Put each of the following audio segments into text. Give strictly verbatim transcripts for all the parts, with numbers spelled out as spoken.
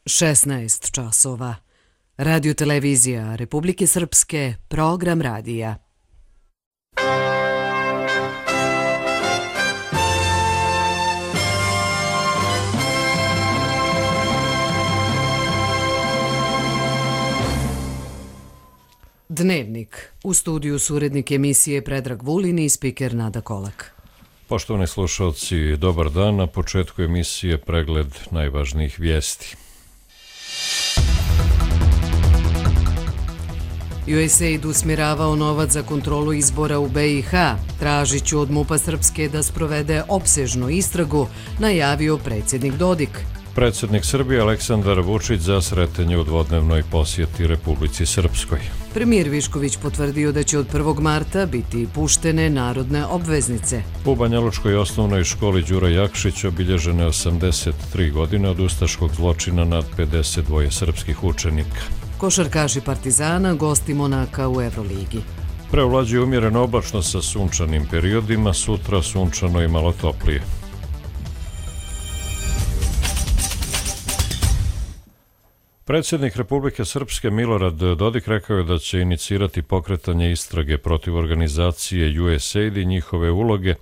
šesnaest časova. Radio televizija Republike Srpske, program radija. Dnevnik. U studiju su urednik emisije Predrag Vulin i spiker Nada Kolak. Poštovani slušalci, dobar dan. Na početku emisije pregled najvažnijih vijesti. U S A I D usmjeravao novac za kontrolu izbora u B i H. Tražit ću od MUP-a Srpske da sprovede opsežnu istragu, najavio predsjednik Dodik. Predsjednik Srbije Aleksandar Vučić za sretanje u dvodnevnoj posjeti Republici Srpskoj. Premijer Višković potvrdio da će od prvog marta biti puštene narodne obveznice. U Banjalučkoj osnovnoj školi Đura Jakšić obilježene osamdeset tri godine od ustaškog zločina nad pedeset dva srpskih učenika. Košarkaši Partizana gosti Monaka u Evroligi. Preovlađuje umjereno oblačno sa sunčanim periodima, sutra sunčano i malo toplije. Predsjednik Republike Srpske Milorad Dodik rekao je da će inicirati pokretanje istrage protiv organizacije U S A I D i njihove uloge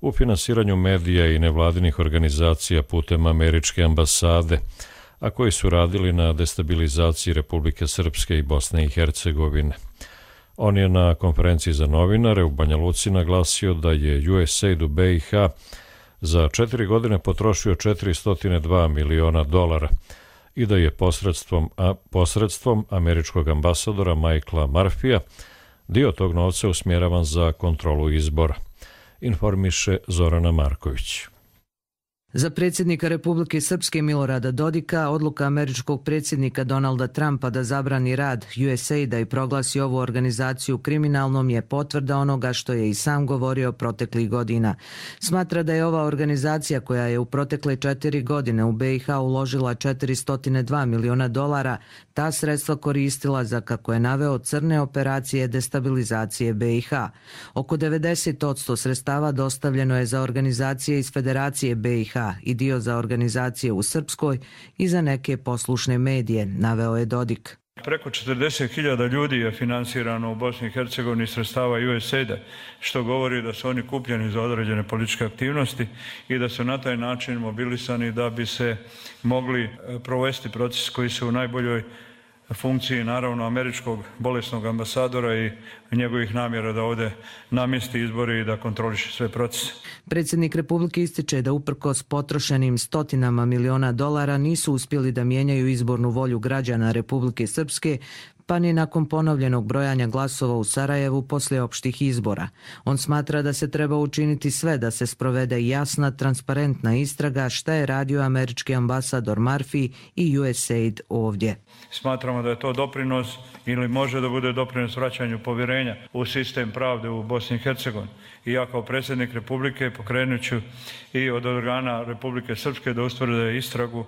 u finansiranju medija i nevladinih organizacija putem američke ambasade, a koji su radili na destabilizaciji Republike Srpske i Bosne i Hercegovine. On je na konferenciji za novinare u Banja Luci naglasio da je U S A I D u B i H za četiri godine potrošio četiristo dva miliona dolara i da je posredstvom, a, posredstvom američkog ambasadora Michaela Murphyja dio tog novca usmjeravan za kontrolu izbora, informiše Zorana Marković. Za predsjednika Republike Srpske Milorada Dodika, odluka američkog predsjednika Donalda Trumpa da zabrani rad U S A I D-a i proglasi ovu organizaciju kriminalnom je potvrda onoga što je i sam govorio proteklih godina. Smatra da je ova organizacija koja je u protekle četiri godine u B i H uložila četiristo dva miliona dolara, ta sredstva koristila za, kako je naveo, crne operacije destabilizacije B i H. Oko devedeset posto sredstava dostavljeno je za organizacije iz Federacije B i H i dio za organizacije u Srpskoj i za neke poslušne medije, naveo je Dodik. Preko četrdeset hiljada ljudi je finansirano u Bosni i Hercegovini sredstava U S A I D-a, što govori da su oni kupljeni za određene političke aktivnosti i da su na taj način mobilisani da bi se mogli provesti proces koji su u najboljoj funkciji, naravno, američkog bolesnog ambasadora i njegovih namjera da ovdje namjesti izbore i da kontroliše sve procese. Predsjednik Republike ističe da uprkos potrošenim stotinama miliona dolara nisu uspjeli da mijenjaju izbornu volju građana Republike Srpske, pa ni nakon ponovljenog brojanja glasova u Sarajevu poslije opštih izbora. On smatra da se treba učiniti sve da se sprovede jasna, transparentna istraga šta je radio američki ambasador Murphy i U S A I D ovdje. Smatramo da je to doprinos ili može da bude doprinos vraćanju povjerenja u sistem pravde u Bosni i Hercegovini. I ja kao predsjednik Republike pokrenut ću i od organa Republike Srpske da ustvrde istragu,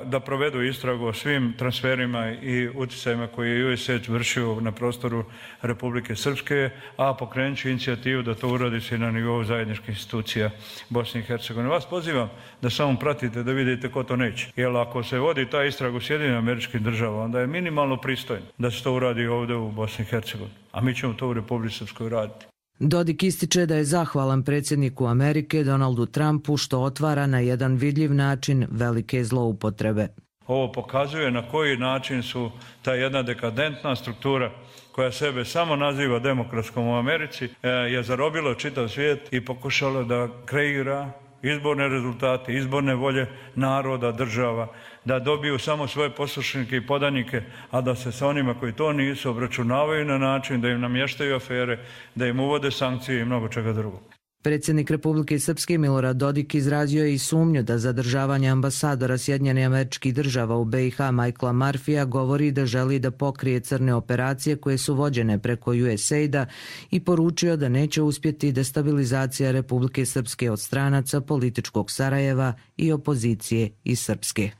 da provedu istragu o svim transferima i utjecajima koje je U S A I D vršio na prostoru Republike Srpske, a pokrenut ću inicijativu da to uradi se na nivou zajedničkih institucija Bosne i Hercegovine. Vas pozivam da samo pratite da vidite ko to neće. Jer ako se vodi ta istraga u Sjedinjenim Američkim Državama, onda je minimalno pristojno da se to uradi ovdje u Bosni i Hercegovini. A mi ćemo to u Republici Srpskoj raditi. Dodik ističe da je zahvalan predsjedniku Amerike Donaldu Trumpu što otvara na jedan vidljiv način velike zloupotrebe. Ovo pokazuje na koji način su ta jedna dekadentna struktura koja sebe samo naziva demokratskom u Americi je zarobila čitav svijet i pokušala da kreira izborne rezultate, izborne volje naroda, država, da dobiju samo svoje poslušnike i podanike, a da se sa onima koji to nisu obračunavaju na način da im namještaju afere, da im uvode sankcije i mnogo čega drugog. Predsjednik Republike Srpske Milorad Dodik izrazio je i sumnju da zadržavanje ambasadora Sjedinjenih Američkih Država u B i H Michaela Murphyja govori da želi da pokrije crne operacije koje su vođene preko U S A I D-a i poručio da neće uspjeti destabilizacija Republike Srpske od stranaca političkog Sarajeva i opozicije iz Srpske.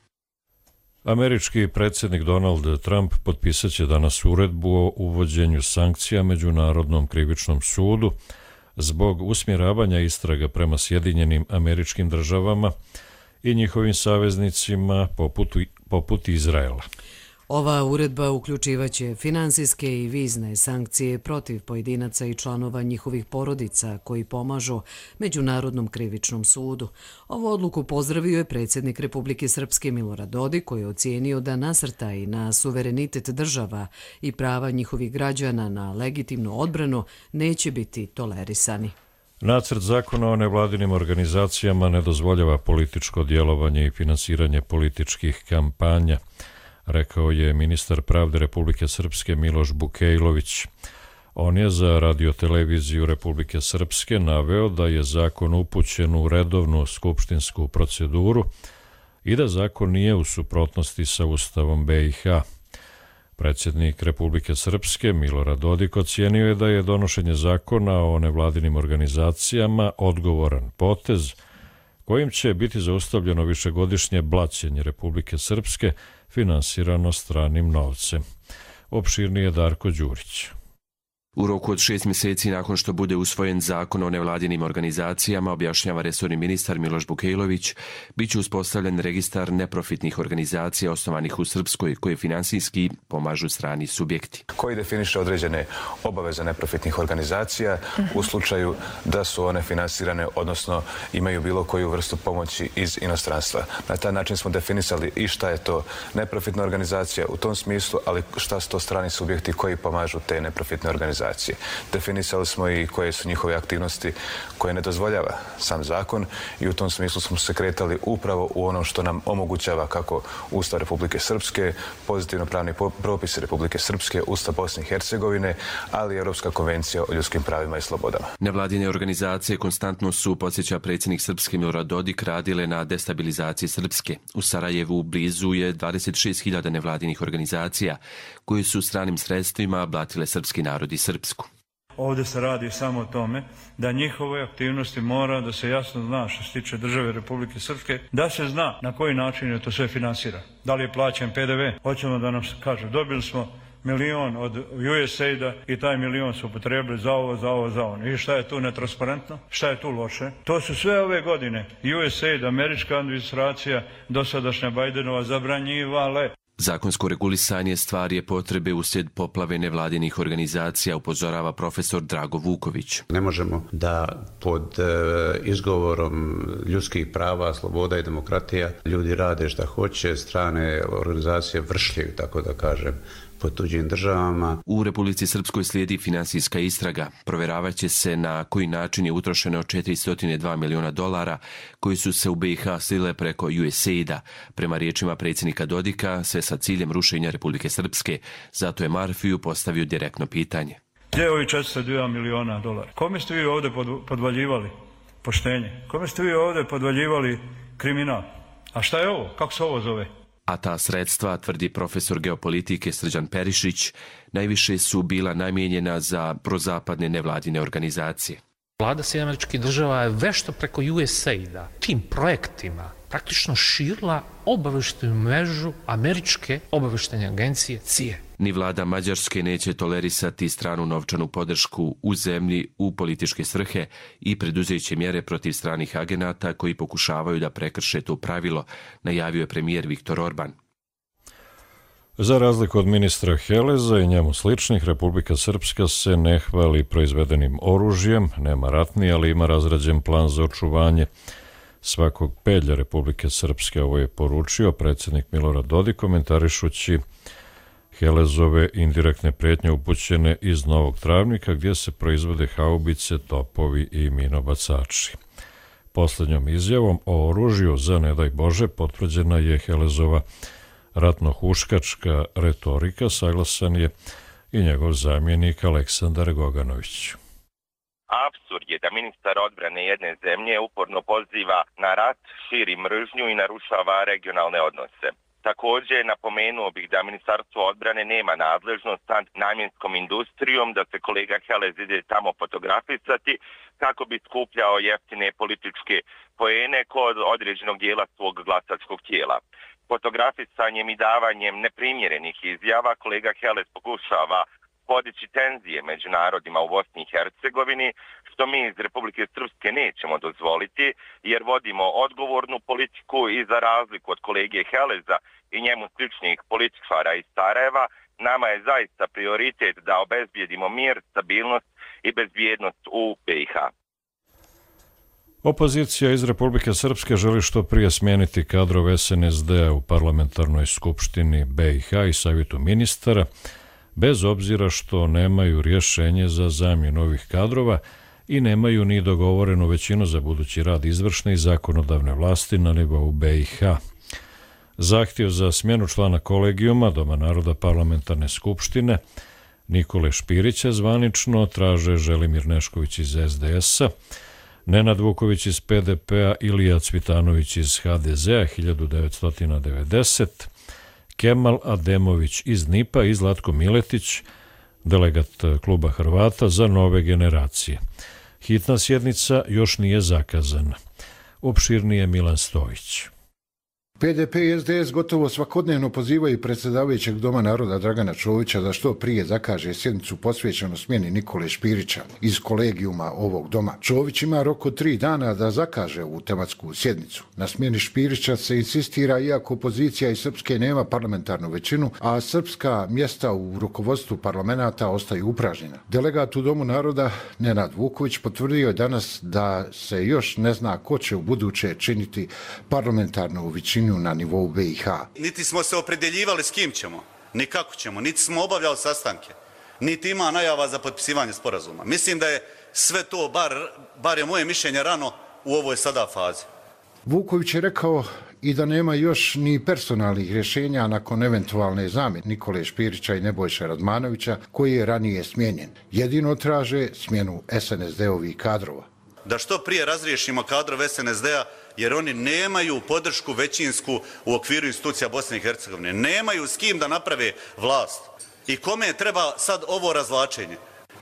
Američki predsjednik Donald Trump potpisat će danas uredbu o uvođenju sankcija Međunarodnom krivičnom sudu zbog usmjeravanja istraga prema Sjedinjenim Američkim Državama i njihovim saveznicima poput, poput Izraela. Ova uredba uključivaće finansijske i vizne sankcije protiv pojedinaca i članova njihovih porodica koji pomažu Međunarodnom krivičnom sudu. Ovu odluku pozdravio je predsjednik Republike Srpske Milorad Dodik, koji je ocijenio da nasrtaji na suverenitet država i prava njihovih građana na legitimnu odbranu neće biti tolerisani. Nacrt zakona o nevladinim organizacijama ne dozvoljava političko djelovanje i finansiranje političkih kampanja, rekao je ministar pravde Republike Srpske Miloš Bukejlović. On je za radioteleviziju Republike Srpske naveo da je zakon upućen u redovnu skupštinsku proceduru i da zakon nije u suprotnosti sa Ustavom B i H. Predsjednik Republike Srpske Milorad Dodik ocijenio je da je donošenje zakona o nevladinim organizacijama odgovoran potez kojim će biti zaustavljeno višegodišnje blaćenje Republike Srpske finansirano stranim novcem. Opširnije Darko Đurić. U roku od šest mjeseci nakon što bude usvojen zakon o nevladinim organizacijama, objašnjava resorni ministar Miloš Bukejlović, bit će uspostavljen registar neprofitnih organizacija osnovanih u Srpskoj koje finansijski pomažu strani subjekti. Koji definiše određene obaveze neprofitnih organizacija u slučaju da su one finansirane, odnosno imaju bilo koju vrstu pomoći iz inostranstva. Na taj način smo definisali i šta je to neprofitna organizacija u tom smislu, ali šta su to strani subjekti koji pomažu te neprofitne organizacije. Definisali smo i koje su njihove aktivnosti koje ne dozvoljava sam zakon i u tom smislu smo se kretali upravo u ono što nam omogućava kako Ustav Republike Srpske, pozitivno pravni propisi Republike Srpske, Ustav Bosne i Hercegovine, ali i Europska konvencija o ljudskim pravima i slobodama. Nevladine organizacije konstantno su, podsjeća predsjednik Srpske Milorad Dodik, radile na destabilizaciji Srpske. U Sarajevu blizu je dvadeset šest hiljada nevladinih organizacija koje su stranim sredstvima blatile srpski narod i Srpsku. Ovdje se radi samo o tome da njihove aktivnosti mora da se jasno zna što se tiče države Republike Srpske, da se zna na koji način je to sve finansira. Da li je plaćen P D V? Hoćemo da nam se kaže, dobili smo milion od U S A I D-a i taj milion su upotrebili za ovo, za ovo, za ono. I šta je tu netransparentno? Šta je tu loše? To su sve ove godine U S A I D, američka administracija, dosadašnja Bajdenova zabranjivale. Zakonsko regulisanje stvari je potrebe uslijed poplave nevladinih organizacija, upozorava profesor Drago Vuković. Ne možemo da pod izgovorom ljudskih prava, sloboda i demokratija ljudi rade šta hoće, strane organizacije vršljaju, tako da kažem, po tuđim državama. U Republici Srpskoj slijedi finansijska istraga. Provjeravat će se na koji način je utrošeno četiristo dva miliona dolara koji su se u B i H slile preko U S A I D-a. Prema riječima predsjednika Dodika, sve sa ciljem rušenja Republike Srpske. Zato je Marfiju postavio direktno pitanje. Gdje je ovi četiristo dva miliona dolara? Kome ste vi ovdje podvaljivali poštenje? Kome ste vi ovdje podvaljivali kriminal? A šta je ovo? Kako se ovo zove? A ta sredstva, tvrdi profesor geopolitike Srđan Perišić, najviše su bila namijenjena za prozapadne nevladine organizacije. Vlada Sjedinjenih Američkih Država je vešto preko U S A I D-a tim projektima praktično širila obavještajnu mrežu američke obavještajne agencije C I A. Ni vlada Mađarske neće tolerisati stranu novčanu podršku u zemlji u političke svrhe i preduzeće mjere protiv stranih agenata koji pokušavaju da prekrše to pravilo, najavio je premijer Viktor Orban. Za razliku od ministra Heleza i njemu sličnih, Republika Srpska se ne hvali proizvedenim oružjem, nema ratni, ali ima razrađen plan za očuvanje svakog pedlja Republike Srpske. Ovo je poručio predsjednik Milorad Dodik komentarišući Helezove indirektne prijetnje upućene iz Novog Travnika gdje se proizvode haubice, topovi i minobacači. Posljednjom izjavom o oružju za ne daj Bože potvrđena je Helezova ratno-huškačka retorika, saglasan je i njegov zamjenik Aleksandar Goganović. Apsurd je da ministar odbrane jedne zemlje uporno poziva na rat, širi mržnju i narušava regionalne odnose. Također napomenuo bih da Ministarstvo odbrane nema nadležnost nad namjenskom industrijom, da se kolega Helez ide tamo fotografisati kako bi skupljao jeftine političke poene kod određenog dijela svog glasačkog tijela. Fotografisanjem i davanjem neprimjerenih izjava kolega Helez pokušava podići tenzije među narodima u Bosni i Hercegovini, što mi iz Republike Srpske nećemo dozvoliti, jer vodimo odgovornu politiku i za razliku od kolege Heleza i njemu sličnih političara iz Sarajeva, nama je zaista prioritet da obezbijedimo mir, stabilnost i bezbjednost u B i H. Opozicija iz Republike Srpske želi što prije smijeniti kadrove S N S D-a u parlamentarnoj skupštini B i H i savjetu ministara, bez obzira što nemaju rješenje za zamjenu ovih kadrova i nemaju ni dogovorenu većinu za budući rad izvršne i zakonodavne vlasti na nivou B i H. Zahtjev za smjenu člana kolegijuma Doma naroda parlamentarne skupštine Nikole Špirića zvanično traže Želimir Nešković iz S D S-a, Nenad Vuković iz P D P-a, Ilija Cvitanović iz H D Z-a hiljadu devetsto devedeset, Kemal Ademović iz N I P-a i Zlatko Miletić, delegat kluba Hrvata za nove generacije. Hitna sjednica još nije zakazana. Opširnije Milan Stojić. P D P i S D S gotovo svakodnevno pozivaju predsjedavajućeg Doma naroda Dragana Čovića da što prije zakaže sjednicu posvećenu smjeni Nikole Špirića iz kolegijuma ovog doma. Čović ima rok od tri dana da zakaže ovu tematsku sjednicu. Na smjeni Špirića se insistira iako opozicija iz Srpske nema parlamentarnu većinu, a srpska mjesta u rukovodstvu parlamenta ostaju upražnjena. Delegat u Domu naroda Nenad Vuković potvrdio je danas da se još ne zna ko će u buduće činiti parlamentarnu većinu na nivou B i H. Niti smo se opredjeljivali s kim ćemo, ni kako ćemo, niti smo obavljali sastanke, niti ima najava za potpisivanje sporazuma. Mislim da je sve to, bar, bar je moje mišljenje, rano u ovoj sada fazi. Vuković je rekao i da nema još ni personalnih rješenja nakon eventualne zamjene Nikole Špirića i Nebojše Radmanovića, koji je ranije smijenjen. Jedino traže smjenu S N S D-ovih kadrova. Da što prije razriješimo kadrove S N S D-a, jer oni nemaju podršku većinsku u okviru institucija Bosne i Hercegovine. Nemaju s kim da naprave vlast. I kome treba sad ovo razvlačenje?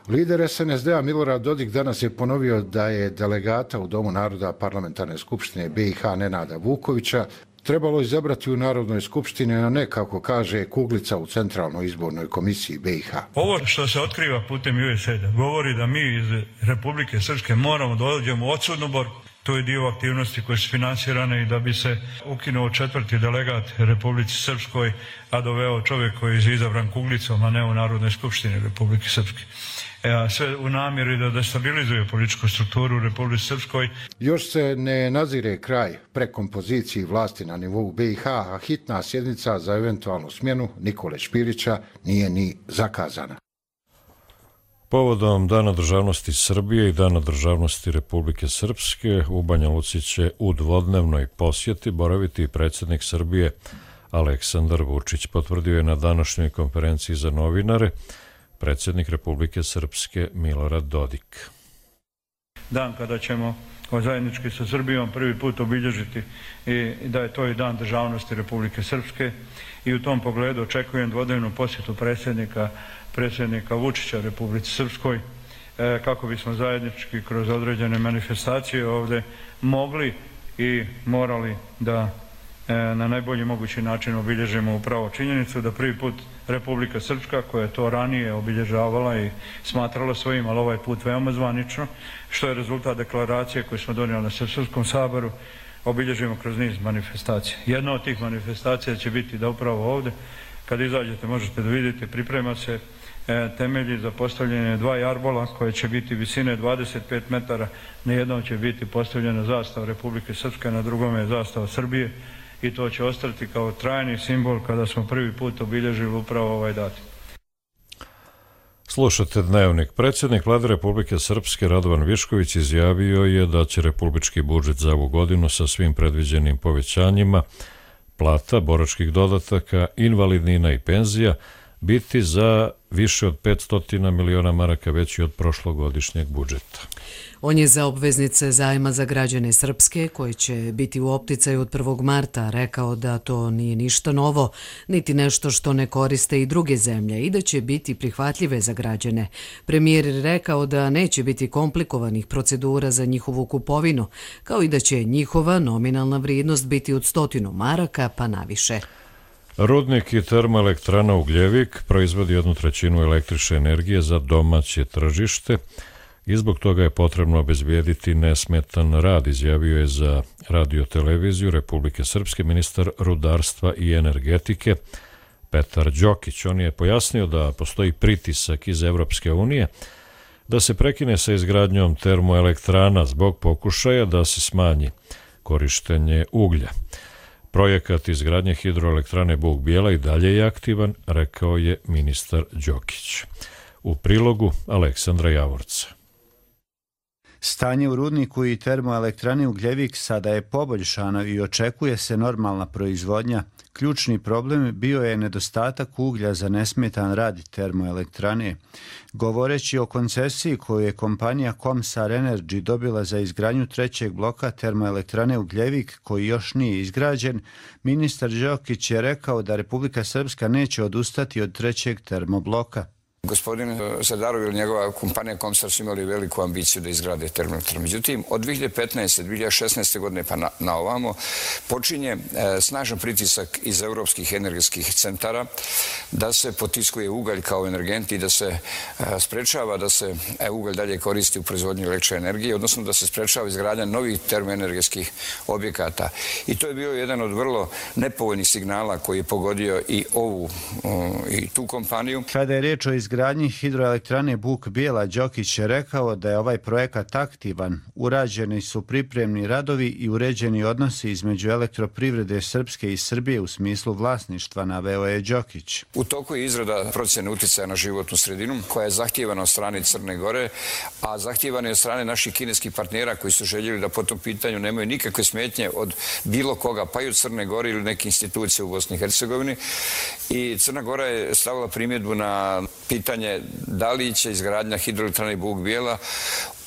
Lider S N S D-a Milorad Dodik danas je ponovio da je delegata u Domu naroda parlamentarne skupštine B i H Nenada Vukovića trebalo izabrati u Narodnoj skupštini, a ne, kako kaže, kuglica u Centralnoj izbornoj komisiji B i H. Ovo što se otkriva putem U S A I D-a govori da mi iz Republike Srpske moramo da dođemo u odsudnu borbu. To je dio aktivnosti koje su finansirane i da bi se ukinuo četvrti delegat Republici Srpskoj, a doveo čovjek koji je izabran kuglicom, a ne u Narodnoj skupštini Republike Srpske. E, sve u namjeri da destabilizuje političku strukturu u Republici Srpskoj. Još se ne nazire kraj prekompoziciji vlasti na nivou B i H, a hitna sjednica za eventualnu smjenu Nikole Špirića nije ni zakazana. Povodom Dana državnosti Srbije i Dana državnosti Republike Srpske u Banja Luci će u dvodnevnoj posjeti boraviti predsjednik Srbije Aleksandar Vučić, potvrdio je na današnjoj konferenciji za novinare predsjednik Republike Srpske Milorad Dodik. Dan kada ćemo zajednički sa Srbijom prvi put obilježiti i da je to i Dan državnosti Republike Srpske i u tom pogledu očekujem dvodnevnu posjetu predsjednika predsjednika Vučića Republici Srpskoj kako bismo zajednički kroz određene manifestacije ovdje mogli i morali da na najbolji mogući način obilježimo upravo činjenicu da prvi put Republika Srpska, koja je to ranije obilježavala i smatrala svojim, ali ovaj put veoma zvanično, što je rezultat deklaracije koju smo donijeli na Srpskom saboru, obilježimo kroz niz manifestacija. Jedna od tih manifestacija će biti da upravo ovdje, kad izađete možete da vidite, priprema se temelji za postavljanje dva jarbola koje će biti visine dvadeset pet metara. Na jednom će biti postavljena zastava Republike Srpske, na drugom je zastava Srbije i to će ostati kao trajni simbol kada smo prvi put obilježili upravo ovaj datum. Slušate Dnevnik. Predsjednik Vlade Republike Srpske Radovan Višković izjavio je da će republički budžet za ovu godinu sa svim predviđenim povećanjima plata, boračkih dodataka, invalidnina i penzija biti za više od petsto miliona maraka veći od prošlogodišnjeg budžeta. On je za obveznice zajma za građane Srpske, koji će biti u opticaju od prvog marta, rekao da to nije ništa novo, niti nešto što ne koriste i druge zemlje i da će biti prihvatljive za građane. Premijer je rekao da neće biti komplikovanih procedura za njihovu kupovinu, kao i da će njihova nominalna vrijednost biti od stotinu maraka pa naviše. Rudnik i termoelektrana Ugljevik proizvodi jednu trećinu električne energije za domaće tržište i zbog toga je potrebno obezbijediti nesmetan rad, izjavio je za radio-televiziju Republike Srpske ministar rudarstva i energetike Petar Đokić. On je pojasnio da postoji pritisak iz Evropske unije da se prekine sa izgradnjom termoelektrana zbog pokušaja da se smanji korištenje uglja. Projekat izgradnje hidroelektrane Buk Bijela i dalje je aktivan, rekao je ministar Đokić. U prilogu Aleksandra Javorca. Stanje u rudniku i termoelektrani Ugljevik sada je poboljšano i očekuje se normalna proizvodnja. Ključni problem bio je nedostatak uglja za nesmetan rad termoelektrane. Govoreći o koncesiji koju je kompanija Comsar Energy dobila za izgradnju trećeg bloka termoelektrane Ugljevik, koji još nije izgrađen, ministar Đokić je rekao da Republika Srpska neće odustati od trećeg termobloka. Gospodin Zadarov ili njegova kompanija Comsar su imali veliku ambiciju da izgrade termoelektranu. Međutim, od dvije hiljade petnaeste. do dvije hiljade šesnaeste. godine pa na, na ovamo počinje e, snažan pritisak iz europskih energetskih centara da se potiskuje ugalj kao energent i da se e, sprečava da se e, ugalj dalje koristi u proizvodnju električne energije, odnosno da se sprečava izgradnja novih termoenergetskih objekata. I to je bio jedan od vrlo nepovoljnih signala koji je pogodio i ovu o, i tu kompaniju. Kada je riječ o izgradnji hidroelektrane Buk Bijela, Đokić je rekao da je ovaj projekat aktivan. Urađeni su pripremni radovi i uređeni odnosi između elektroprivrede Srpske i Srbije u smislu vlasništva, naveo je Đokić. U toku je izrada procjene uticaja na životnu sredinu koja je zahtijevana od strane Crne Gore, a zahtijevana je od strane naših kineskih partnera koji su željeli da po tom pitanju nemaju nikakve smetnje od bilo koga, pa i od Crne Gore ili neke institucije u Bosni i Hercegovini. I Crna Gora je stavila primjedbu na pitanje da li će izgradnja hidroelektrane Buk Bijela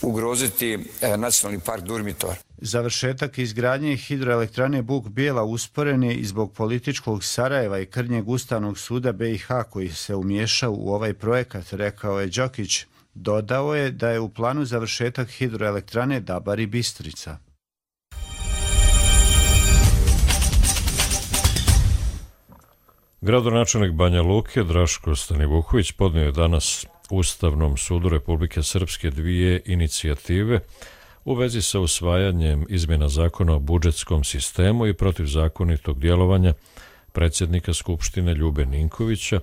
ugroziti nacionalni park Durmitor. Završetak izgradnje hidroelektrane Buk Bijela usporen je i zbog političkog Sarajeva i krnjeg Ustavnog suda B i H koji se umiješao u ovaj projekat, rekao je Đokić. Dodao je da je u planu završetak hidroelektrane Dabar i Bistrica. Gradonačelnik Banja Luke Draško Stanivuković podnio je danas Ustavnom sudu Republike Srpske dvije inicijative u vezi sa usvajanjem izmjena zakona o budžetskom sistemu i protivzakonitog djelovanja predsjednika Skupštine Ljube Ninkovića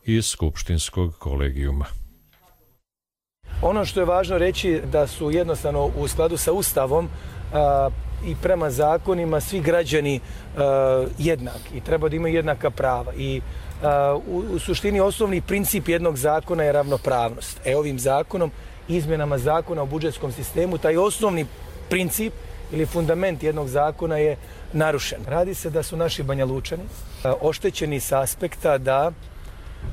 iz Skupštinskog kolegijuma. Ono što je važno reći da su jednostavno u skladu sa Ustavom a, i prema zakonima svi građani a, jednaki i treba da imaju jednaka prava. I a, u, u suštini osnovni princip jednog zakona je ravnopravnost. E ovim zakonom, izmjenama zakona o budžetskom sistemu, taj osnovni princip ili fundament jednog zakona je narušen. Radi se da su naši Banjalučani a, oštećeni sa aspekta da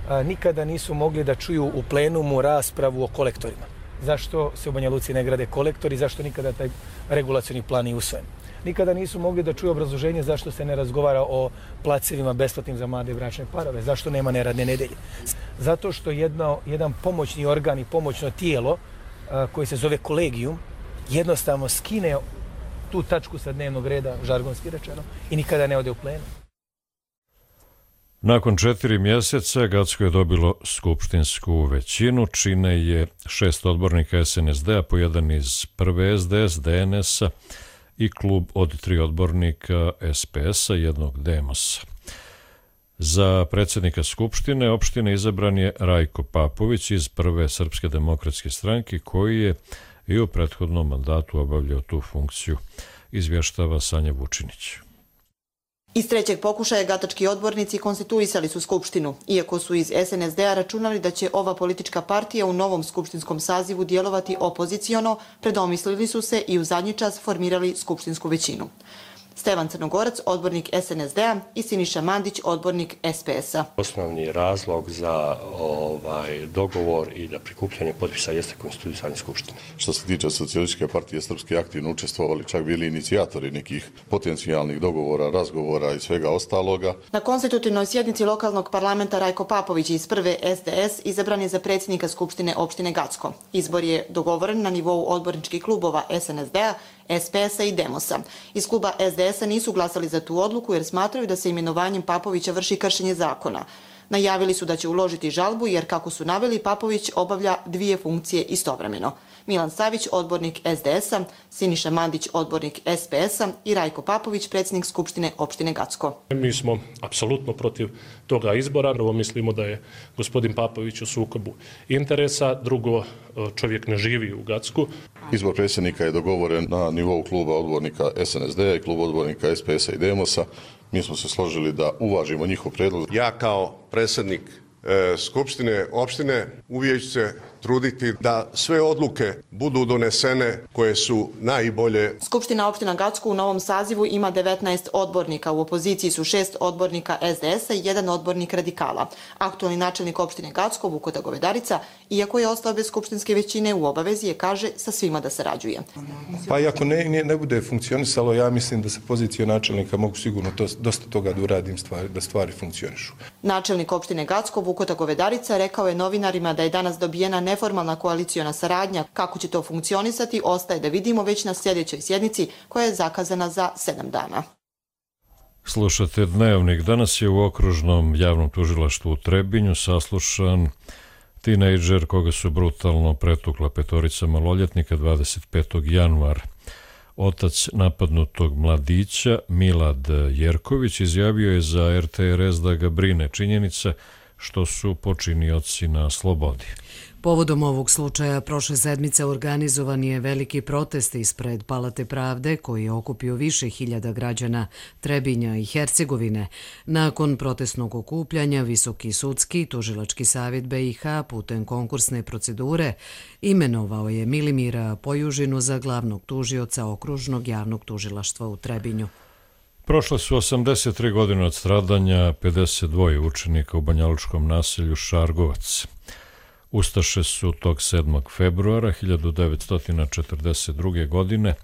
a, nikada nisu mogli da čuju u plenumu raspravu o kolektorima. Zašto se u Banja Luci ne grade kolektori, zašto nikada taj regulacioni plan nije usvojen. Nikada nisu mogli da čuju obrazloženje zašto se ne razgovara o placevima besplatnim za mlade bračne parove, zašto nema neradne nedelje. Zato što jedno, jedan pomoćni organ i pomoćno tijelo a, koji se zove kolegijum jednostavno skine tu tačku sa dnevnog reda, žargonski rečeno, i nikada ne ode u plenum. Nakon četiri mjeseca Gacko je dobilo skupštinsku većinu, čine je šest odbornika S N S D-a, po jedan iz prve S D S, D N S-a i klub od tri odbornika S P S-a, jednog D M S-a. Za predsjednika Skupštine opštine izabran je Rajko Papović iz prve Srpske demokratske stranke, koji je i u prethodnom mandatu obavljao tu funkciju, izvještava Sanja Vučinić. Iz trećeg pokušaja gatački odbornici konstituisali su Skupštinu, iako su iz S N S D-a računali da će ova politička partija u novom skupštinskom sazivu djelovati opoziciono, predomislili su se i u zadnji čas formirali skupštinsku većinu. Stevan Crnogorac, odbornik S N S D-a i Siniša Mandić, odbornik S P S-a. Osnovni razlog za ovaj dogovor i da prikupljanje potpisa jeste konstituisanje Skupštine. Što se tiče Socijalističke partije Srpske, aktivno učestvovali, čak bili inicijatori nekih potencijalnih dogovora, razgovora i svega ostaloga. Na konstitutivnoj sjednici lokalnog parlamenta Rajko Papović iz prve S D S izabran je za predsjednika Skupštine opštine Gacko. Izbor je dogovoren na nivou odborničkih klubova S N S D-a, S P S-a i Demosa. Iz kluba S D S-a nisu glasali za tu odluku jer smatraju da se imenovanjem Papovića vrši kršenje zakona. Najavili su da će uložiti žalbu jer, kako su naveli, Papović obavlja dvije funkcije istovremeno. Milan Savić, odbornik S D S-a, Siniša Mandić, odbornik S P S-a i Rajko Papović, predsjednik Skupštine opštine Gacko. Mi smo apsolutno protiv toga izbora. Prvo, mislimo da je gospodin Papović u sukobu interesa. Drugo, čovjek ne živi u Gacku. Izbor predsjednika je dogovoren na nivou kluba odbornika S N S D-a i kluba odbornika S P S-a i Demosa. Mi smo se složili da uvažimo njihov predlog. Ja kao predsjednik e, Skupštine opštine uvijek ću se truditi da sve odluke budu donesene koje su najbolje. Skupština opština Gacko u novom sazivu ima devetnaest odbornika. U opoziciji su šest odbornika S D S-a i jedan odbornik radikala. Aktualni načelnik opštine Gacko, Vukota Govedarica, iako je ostao bez skupštinske većine, u obavezi je, kaže, sa svima da sarađuje. Pa i ako ne, ne, ne bude funkcionisalo, ja mislim da sa pozicije načelnika mogu sigurno to, dosta toga da uradim stvari, da stvari funkcionišu. Načelnik opštine Gacko, Vukota Govedarica, rekao je novinarima da je danas dobijena neformalna koaliciona saradnja. Kako će to funkcionisati, ostaje da vidimo već na sljedećoj sjednici koja je zakazana za sedam dana. Slušate Dnevnik. Danas je u okružnom javnom tužilaštvu u Trebinju saslušan tinejdžer koga su brutalno pretukla petorica maloljetnika dvadeset petog januara. Otac napadnutog mladića, Milad Jerković, izjavio je za R T R S da ga brine činjenica što su počinioci na slobodi. Povodom ovog slučaja prošle sedmice organizovan je veliki protest ispred Palate pravde koji je okupio više hiljada građana Trebinja i Hercegovine. Nakon protestnog okupljanja Visoki sudski i tužilački savjet B i H putem konkursne procedure imenovao je Milimira Pojužinu za glavnog tužioca okružnog javnog tužilaštva u Trebinju. Prošle su osamdeset tri godine od stradanja pedeset dva učenika u banjalučkom naselju Šargovac. Ustaše su tog sedmog februara hiljadu devetsto četrdeset druge. godine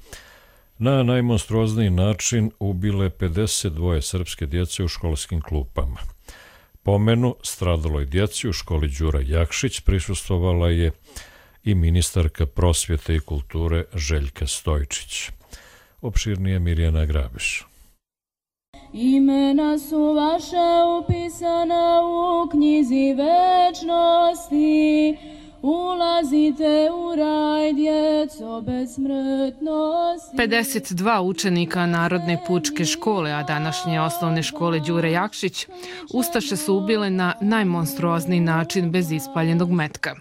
na najmonstruozniji način ubile pedeset dva srpske djece u školskim klupama. Pomenu stradaloj djeci u školi Đura Jakšić prisustvovala je i ministarka prosvjete i kulture Željka Stojčić. Opširnije Mirjana Grabiš. Imena su vaša upisana u knjizi večnosti, ulazite u raj, djeco bezsmrtnosti. pedeset dva učenika Narodne pučke škole, a današnje osnovne škole Đure Jakšić, ustaše su ubile na najmonstruozniji način bez ispaljenog metka.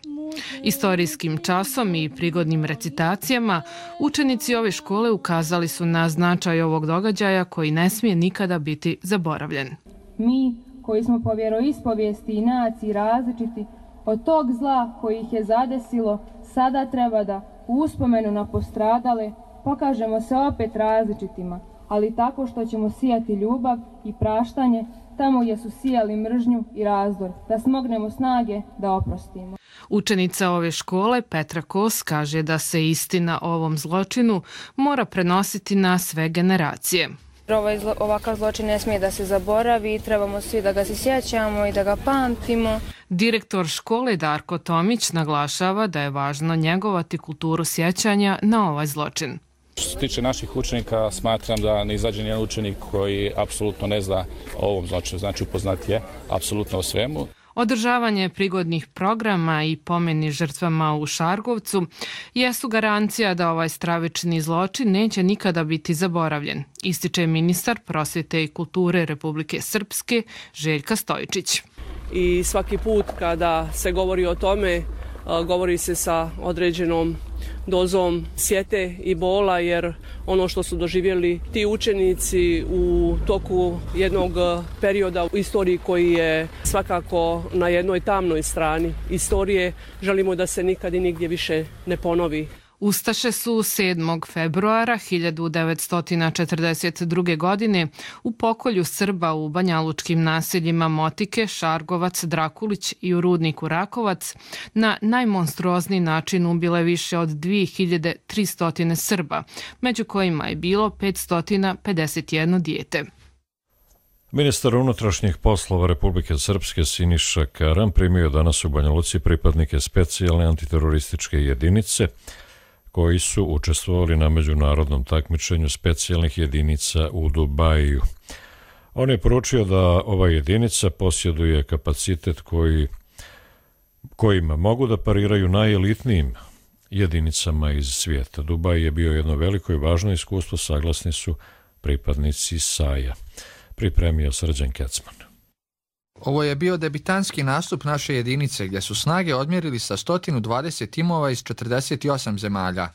Istorijskim časom i prigodnim recitacijama učenici ove škole ukazali su na značaj ovog događaja koji ne smije nikada biti zaboravljen. Mi, koji smo po vjeroispovijesti i naciji različiti, od tog zla koji ih je zadesilo, sada treba da u uspomenu na postradale pokažemo se opet različitima, ali tako što ćemo sijati ljubav i praštanje tamo gdje su sijali mržnju i razdor, da smognemo snage da oprostimo. Učenica ove škole, Petra Kos, kaže da se istina o ovom zločinu mora prenositi na sve generacije. Ovaj zlo, ovakav zločin ne smije da se zaboravi, trebamo svi da ga se sjećamo i da ga pamtimo. Direktor škole Darko Tomić naglašava da je važno njegovati kulturu sjećanja na ovaj zločin. Što se tiče naših učenika, smatram da ne izađe nijedan učenik koji apsolutno ne zna o ovom zločinu, znači upoznat je apsolutno o svemu. Održavanje prigodnih programa i pomeni žrtvama u Šargovcu jesu garancija da ovaj stravični zločin neće nikada biti zaboravljen, ističe ministar prosvjete i kulture Republike Srpske Željka Stojčić. I svaki put kada se govori o tome, govori se sa određenom dozom sjete i bola, jer ono što su doživjeli ti učenici u toku jednog perioda u istoriji koji je svakako na jednoj tamnoj strani istorije, želimo da se nikad i nigdje više ne ponovi. Ustaše su sedmog februara hiljadu devetsto četrdeset druge. godine u pokolju Srba u banjalučkim naseljima Motike, Šargovac, Drakulić i u rudniku Rakovac na najmonstruozniji način ubile više od dvije hiljade tristo Srba, među kojima je bilo petsto pedeset jedno dijete. Ministar unutrašnjih poslova Republike Srpske Siniša Karan primio danas u Banja Luci pripadnike specijalne antiterorističke jedinice koji su učestvovali na međunarodnom takmičenju specijalnih jedinica u Dubaju. On je poručio da ova jedinica posjeduje kapacitet koji, kojima mogu da pariraju najelitnijim jedinicama iz svijeta. Dubaj je bio jedno veliko i važno iskustvo, saglasni su pripadnici SAJ-a. Pripremio Srđan Kecman. Ovo je bio debitanski nastup naše jedinice gdje su snage odmjerili sa sto dvadeset timova iz četrdeset osam zemalja.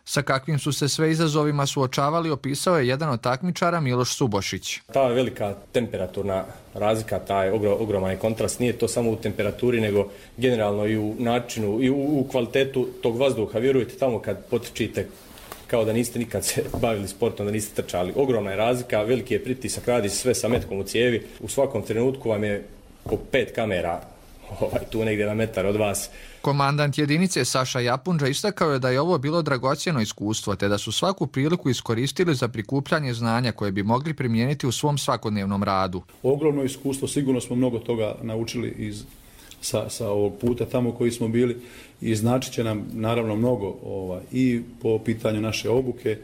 Sa kakvim su se sve izazovima suočavali opisao je jedan od takmičara Miloš Subošić. Ta velika temperaturna razlika, taj ogroman kontrast, nije to samo u temperaturi, nego generalno i u načinu i u, u kvalitetu tog vazduha. Vjerujte, tamo kad potrčite kao da niste nikad se bavili sportom, da niste trčali. Ogromna je razlika, veliki je pritisak, radi se sve sa metkom u cijevi. U svakom trenutku vam je po pet kamera ovaj, tu negdje na metar od vas. Komandant jedinice Saša Japunđa istakao je da je ovo bilo dragocjeno iskustvo, te da su svaku priliku iskoristili za prikupljanje znanja koje bi mogli primijeniti u svom svakodnevnom radu. Ogromno iskustvo, sigurno smo mnogo toga naučili iz, sa, sa ovog puta tamo koji smo bili i značit će nam naravno mnogo ovaj, i po pitanju naše obuke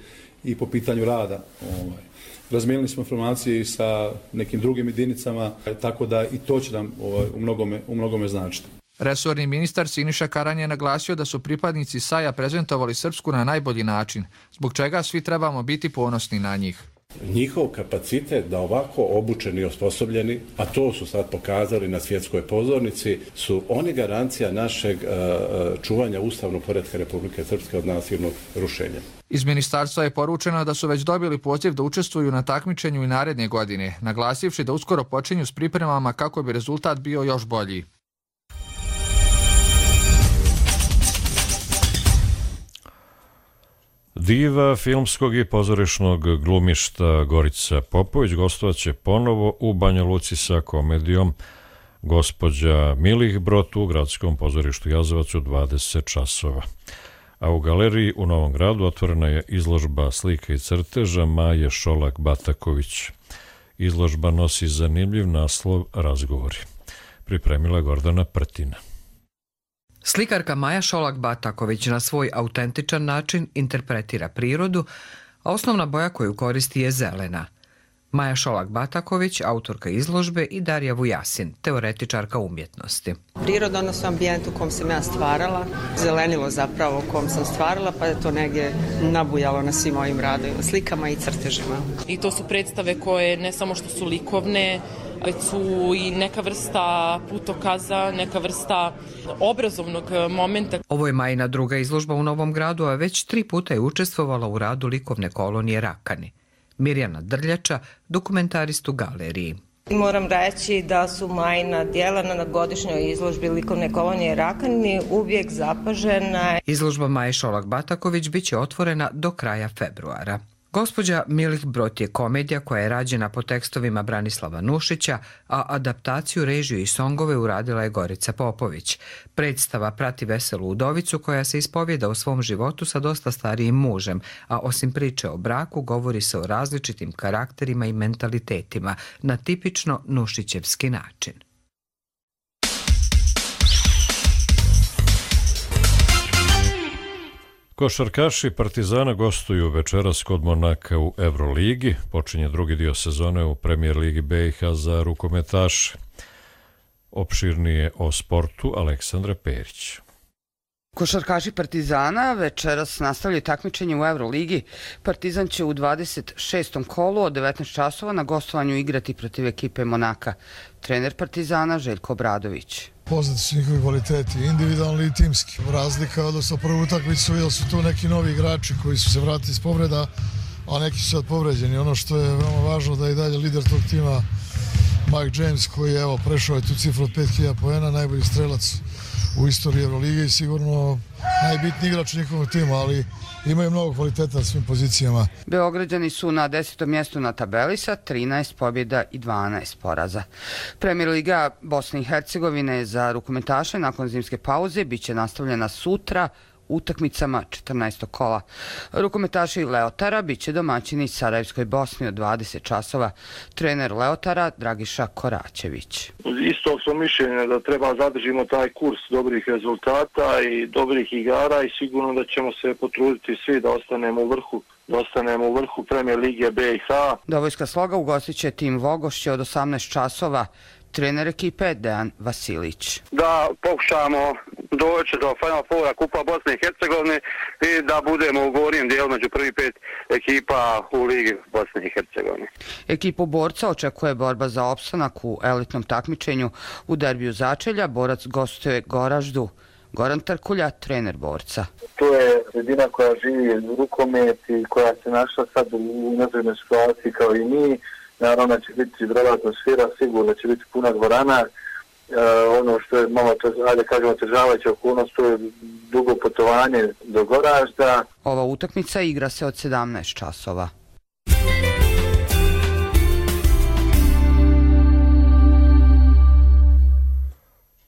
i po pitanju rada. Ovaj. Razmijenili smo informacije i sa nekim drugim jedinicama, tako da i to će nam ovaj, u mnogome, u mnogome značiti. Resorni ministar Siniša Karan je naglasio da su pripadnici SAJ-a prezentovali Srpsku na najbolji način, zbog čega svi trebamo biti ponosni na njih. Njihov kapacitet da ovako obučeni i osposobljeni, a to su sad pokazali na svjetskoj pozornici, su oni garancija našeg uh, čuvanja ustavnog poretka Republike Srpske od nasilnog rušenja. Iz ministarstva je poručeno da su već dobili poziv da učestvuju na takmičenju i naredne godine, naglasivši da uskoro počinju s pripremama kako bi rezultat bio još bolji. Diva filmskog i pozorišnog glumišta Gorica Popović gostovaće ponovo u Banja Luci sa komedijom Gospođa Milih Brot u Gradskom pozorištu Jazovac u dvadeset časova. A u galeriji u Novom Gradu otvorena je izložba slika i crteža Maje Šolak-Bataković. Izložba nosi zanimljiv naslov Razgovori. Pripremila Gordana Prtina. Slikarka Maja Šolak-Bataković na svoj autentičan način interpretira prirodu, a osnovna boja koju koristi je zelena. Maja Šolak-Bataković, autorka izložbe, i Darija Vujasin, teoretičarka umjetnosti. Priroda, odnosno ambijent u kom sam ja stvarala, zelenilo zapravo u kom sam stvarala, pa je to negdje nabujalo na svim mojim radovima, slikama i crtežima. I to su predstave koje ne samo što su likovne, već su i neka vrsta putokaza, neka vrsta obrazovnog momenta. Ovo je Majina druga izložba u Novom Gradu, a već tri puta je učestvovala u radu likovne kolonije Rakani. Mirjana Drljača, dokumentarist u galeriji. Moram reći da su Majina djela na godišnjoj izložbi likovne kolonije Rakani uvijek zapažena. Izložba Maje Šolak-Bataković bit će otvorena do kraja februara. Gospođa Milih Brot je komedija koja je rađena po tekstovima Branislava Nušića, a adaptaciju, režiju i songove uradila je Gorica Popović. Predstava prati veselu udovicu koja se ispovjeda o svom životu sa dosta starijim mužem, a osim priče o braku govori se o različitim karakterima i mentalitetima na tipično nušićevski način. Košarkaši Partizana gostuju večeras kod Monaka u Euroligi. Počinje drugi dio sezone u Premijer Ligi B i H za rukometaše. Opširnije o sportu Aleksandra Perić. Košarkaši Partizana večeras nastavljaju takmičenje u Euroligi. Partizan će u dvadeset šestom kolu od devetnaest časova na gostovanju igrati protiv ekipe Monaka. Trener Partizana Željko Obradović. Poznati su njihovi kvaliteti, individualni i timski. Razlika odnosno prvu utakmicu, jer su tu neki novi igrači koji su se vratili iz povreda, a neki su sad povređeni. Ono što je veoma važno da je i dalje lider tog tima Mike James, koji je evo, prešao je tu cifru od pet hiljada poena, najbolji strelac u istoriji Eurolige i sigurno najbitniji igrač njihovog tima, ali imaju mnogo kvaliteta na svim pozicijama. Beograđani su na desetom mjestu na tabeli sa trinaest pobjeda i dvanaest poraza. Premijer Liga Bosne i Hercegovine za rukometaše nakon zimske pauze biće nastavljena sutra utakmicama četrnaestog kola. Rukometaši Leotara biće domaćini Sarajevskoj Bosni od dvadeset časova. Trener Leotara Dragiša Koračević. Istog smo mišljenja da treba zadržimo taj kurs dobrih rezultata i dobrih igara i sigurno da ćemo se potruditi svi da ostanemo u vrhu. da ostanemo u vrhu Premijer Lige B i H. Dobojska Sloga ugostit će tim Vogošće od osamnaest časova. Trener ekipe Dejan Vasilić. Da pokušamo doći do Final Foura Kupa Bosne i Hercegovine i da budemo u gornjem dijelu među prvi pet ekipa u Ligi Bosne i Hercegovine. Ekipu Borca očekuje borba za opstanak u elitnom takmičenju. U derbiju začelja Borac gostuje Goraždu. Goran Trkulja, trener Borca. To je sredina koja živi rukomet i koja se našla sad u nezgodnoj situaciji kao i mi. Naravno će biti dobra atmosfera, sigurno će biti puna dvorana. E, ono što je malo, ajde kažemo, težavajuća okolnost, to je dugo putovanje do Goražda. Ova utakmica igra se od sedamnaest časova.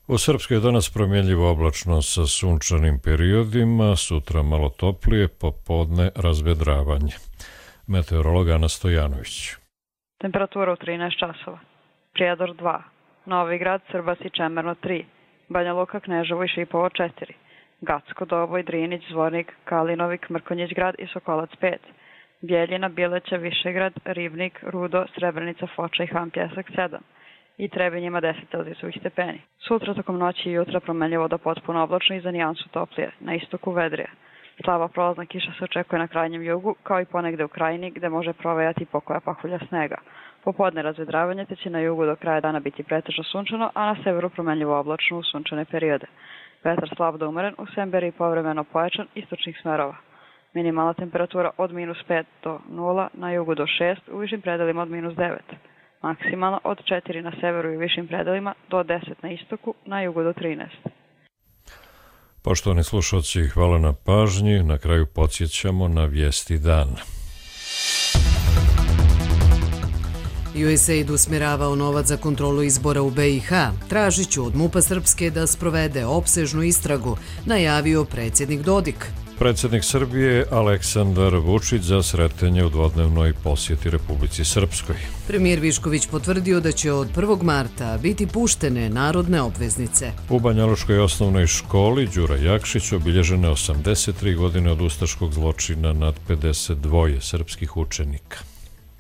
U Srpskoj je danas promjenljivo oblačno sa sunčanim periodima, sutra malo toplije, popodne razvedravanje. Meteorolog Ana Stojanović. Temperatura u trinaest časova. Prijedor dva, Novigrad, Srbas i Čemerno tri, Banja Luka, Kneževo i Šipovo četiri, Gacko, Doboj, Drinić, Zvornik, Kalinovik, Mrkonjić grad i Sokolac pet, Bjeljina, Bileća, Višegrad, Ribnik, Rudo, Srebrenica, Foča i Han Pjesak sedam i Trebinjima deset Celzijusovih stepeni. Sutra tokom noći i jutra promenljivo do potpuno oblačno i za nijansu toplije, na istoku vedrije. Slaba prolazna kiša se očekuje na krajnjem jugu, kao i ponegde u krajini, gde može provejati pokoja pahulja snega. Popodne razvedravanje, te će na jugu do kraja dana biti pretežno sunčano, a na severu promenljivo oblačno u sunčane periode. Vetar slab do umeren, u Semberi povremeno pojačan istočnih smerova. Minimalna temperatura od minus pet do nula, na jugu do šest, u višim predelima od minus devet. Maksimalno od četiri na severu i višim predelima do deset na istoku, na jugu do trinaest. Poštovani slušalci, hvala na pažnji. Na kraju podsjećamo na vijesti dana. U S A I D usmjeravao novac za kontrolu izbora u B i H. Tražit ću od MUP-a Srpske da sprovede opsežnu istragu, najavio predsjednik Dodik. Predsjednik Srbije Aleksandar Vučić za sretanje u dvodnevnoj posjeti Republici Srpskoj. Premijer Višković potvrdio da će od prvog marta biti puštene narodne obveznice. U Banjalučkoj osnovnoj školi Đura Jakšić obilježene osamdeset tri godine od ustaškog zločina nad pedeset dva srpskih učenika.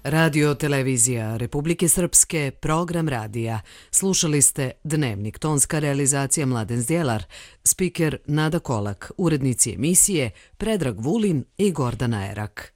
Radio televizija Republike Srpske, program radija. Slušali ste Dnevnik, tonska realizacija Mladen Zdjelar, spiker Nada Kolak, urednici emisije Predrag Vulin i Gordana Erak.